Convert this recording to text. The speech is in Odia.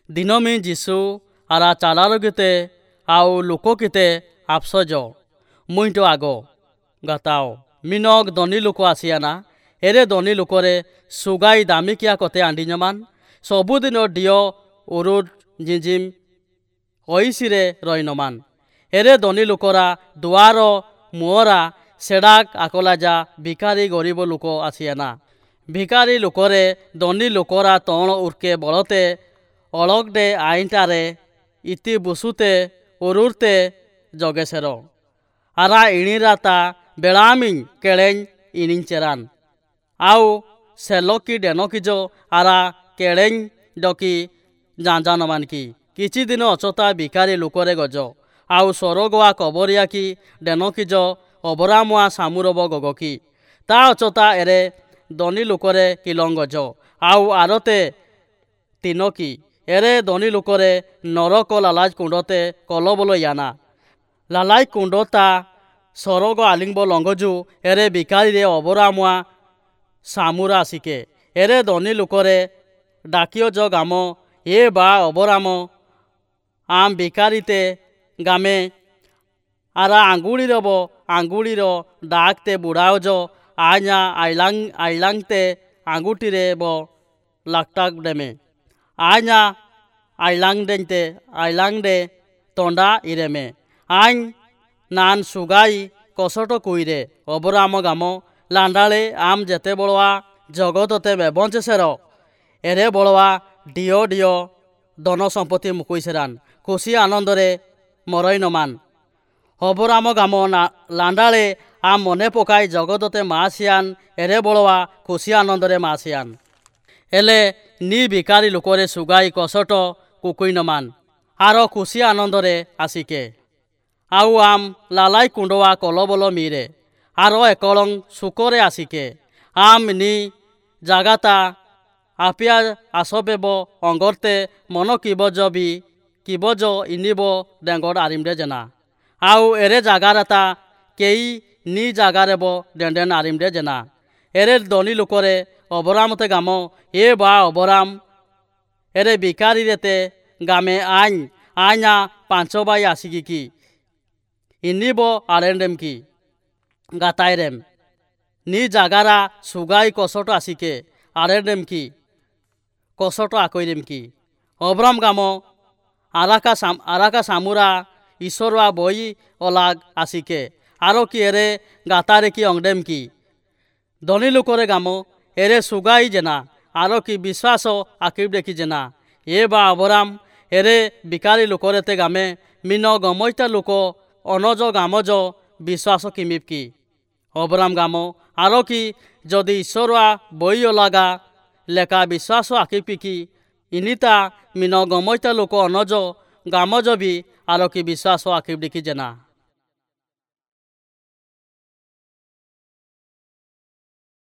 ଦିନମି ଯୀଶୁ ଆରା ଚାଲାରଗିତେ ଆଉ ଲୋକକିତେ ଆଫସଜ ମୁଇଁଟ ଆଗ ଗାତାଓ ମିନଗ ଧନୀ ଲୋକ ଆସିଆନା। ଏରେ ଧନୀ ଲୋକରେ ସୁଗାଇ ଦାମିକିଆ କତେ ଆଣ୍ଡିഞ്ഞମାନ ସବୁଦିନ ଡିଅ ଉରୁଡ ଜିଞ୍ଜିମ୍ ଐସିରେ ରହିନମାନ। ଏରେ ଧନୀ ଲୋକରା ଦୁଆର ମୁହଁରା ସେଡ଼ାକ ଆକଲାଜା ଭିକାରୀ ଗରିବ ଲୋକ ଆସିଆନା। ଭିକାରୀ ଲୋକରେ ଧନୀ ଲୋକରା ତଣ ଉର୍କେ ବଳତେ ଅଳଗଡେ ଆଇଁଟାରେ ଇତି ବୁସୁତେ ଉରୁରତେ ଜଗେସେର ଆରା ଇଣିରା ତା ବେଳାମିଂ କେଳେኝ ଇଣିଂ ଚେରାନ ଆଉ ସେଲକି ଡେନକିଜ ଆରା କେଳେኝ ଡକି ଜାଞ୍ଜାନମାନ କି। କିଛି ଦିନ ଅଚତା ଭିକାରୀ ଲୋକରେ ଗଜ ଆଉ ସରଗଆ କବରିଆ କି ଡେନକିଜ ଅବରାମୁଆ ସାମୁରବ ଗଗକି। ତା ଅଚତା ଏରେ ଧନୀ ଲୋକରେ କିଲଂ ଗଜ ଆଉ ଆରତେ ତିନକି। ଏରେ ଧନୀ ଲୋକରେ ନରକ ଲାଲାଜ କୁଣ୍ଡତେ କଲବଲ ୟାନା। ଲାଲାଇ କୁଣ୍ଡତା ସରଗ ଆଲିଙ୍ଗବ ଲଙ୍ଗଜୁ ଏରେ ଭିକାରୀରେ ଅବରାମୁଆ ସାମୁରା ଆସିକେ। ଏରେ ଧନୀ ଲୋକରେ ଡାକିଅ ଜ ଗାମ ଏ ବା ଅବରାମ ଆମ୍ ଭିକାରୀତେ ଗାମେ ଆରା ଆଙ୍ଗୁଳିରବ ଆଙ୍ଗୁଳିର ଡାକତେ ବୁଢ଼ାଅଜ ଆଜ୍ଞା ଆଇଲାଂ ଆଇଲାଂତେ ଆଙ୍ଗୁଠିରେ ବ ଲାକ୍ଟାକ ଡେମେ ଆଜ୍ଞା ଆଇଲାଂଡେତେ ଆଇଲାଂଡେ ତଣ୍ଡା ଇରେମେ ଆଇଂ ନାନ ସୁଗାଇ କସଟ କୁଇରେ ଅବରାମ ଗାମ ଲାଣ୍ଡାଳେ ଆମ୍ ଯେତେ ବଳୁଆ ଜଗତତେ ବେବଞ୍ଚେସେର ଏରେ ବଳୁଆ ଡିଅ ଡିଅ ଧନ ସମ୍ପତ୍ତି ମୁକୁଇସେରାନ ଖୁସି ଆନନ୍ଦରେ ମରଇ ନମାନ। ଅବରାମ ଗାମ ଲାଣ୍ଡାଳେ ଆମ୍ ମନେ ପକାଇ ଜଗତତେ ମା ସିଆନ ଏରେ ବଳୁଆ ଖୁସି ଆନନ୍ଦରେ ମା ସିଆନ। ହେଲେ ନି ଭିକାରୀ ଲୋକରେ ସୁଗାଇ କସଟ କୁକୁଇନମାନ ଆର ଖୁସି ଆନନ୍ଦରେ ଆସିକେ। ଆଉ ଆମ୍ ଲାଲାଇ କୁଣ୍ଡୁଆ କଲବଲ ମିରେ ଆର ଏକଳଂ ସୁକରେ ଆସିକେ। ଆମ୍ ନି ଜାଗାତା ଆପିଆ ଆସବେବ ଅଙ୍ଗର୍ତେ ମନ କିବଜ ବି କିବଜ ଇନିବ ଡେଙ୍ଗଡ଼ ଆରିମଡେ ଜେନା। ଆଉ ଏରେ ଜାଗାରତା କେଇ ନି ଜାଗାରେବ ଡେଣ୍ଡେନ ଆରିମଡେ ଜେନା। ଏରେ ଧନୀ ଲୋକରେ ଅବରାମତେ ଗାମ ଏ ବା ଅବରାମ ଏରେ ଭିକାରୀରେତେ ଗାମେ ଆଇଂ ଆଇଁଆ ପାଞ୍ଚ ବାଇ ଆସିକି କି ଇନିବ ଆରେଣ୍ଡେମ୍ କି ଗାତାଇରେମ୍ ନି ଜାଗାରା ସୁଗାଇ କସଟ ଆସିକେ ଆରେଣ୍ଡେମ୍ କି କସଟ ଆକଇରେମ୍ କି। ଅବରାମ ଗାମ ଆରାକା ଆରାକା ସାମୁରା ଈଶ୍ୱରୁଆ ବଇ ଅଲାଗ ଆସିକେ ଆର କି ଏରେ ଗାତାରେ କି ଅଙ୍ଗଡେମ୍ କି। ଧନୀ ଲୋକରେ ଗାମ ଏରେ ସୁଗାଇ ଜେନା ଆର କି ବିଶ୍ୱାସ ଆକିବ ଦେଖି ଜେନା। ଏ ବା ଅବରାମ ଏରେ ଭିକାରୀ ଲୋକରେତେ ଗାମେ ମିନ ଗମଇତା ଲୋକ ଅନଜ ଗାମଜ ବିଶ୍ୱାସ କିମିବ କି। ଅବରାମ ଗାମ ଆର କି ଯଦି ଈଶ୍ୱରୁଆ ବଇ ଅଲାଗା ଲେକା ବିଶ୍ୱାସ ଆକିପିକି ଇନିତା ମିନ ଗମଇତା ଲୋକ ଅନଜ ଗାମଜ ବି ଆର କି ବିଶ୍ୱାସ ଆକିବ ଦେଖି ଜେନା।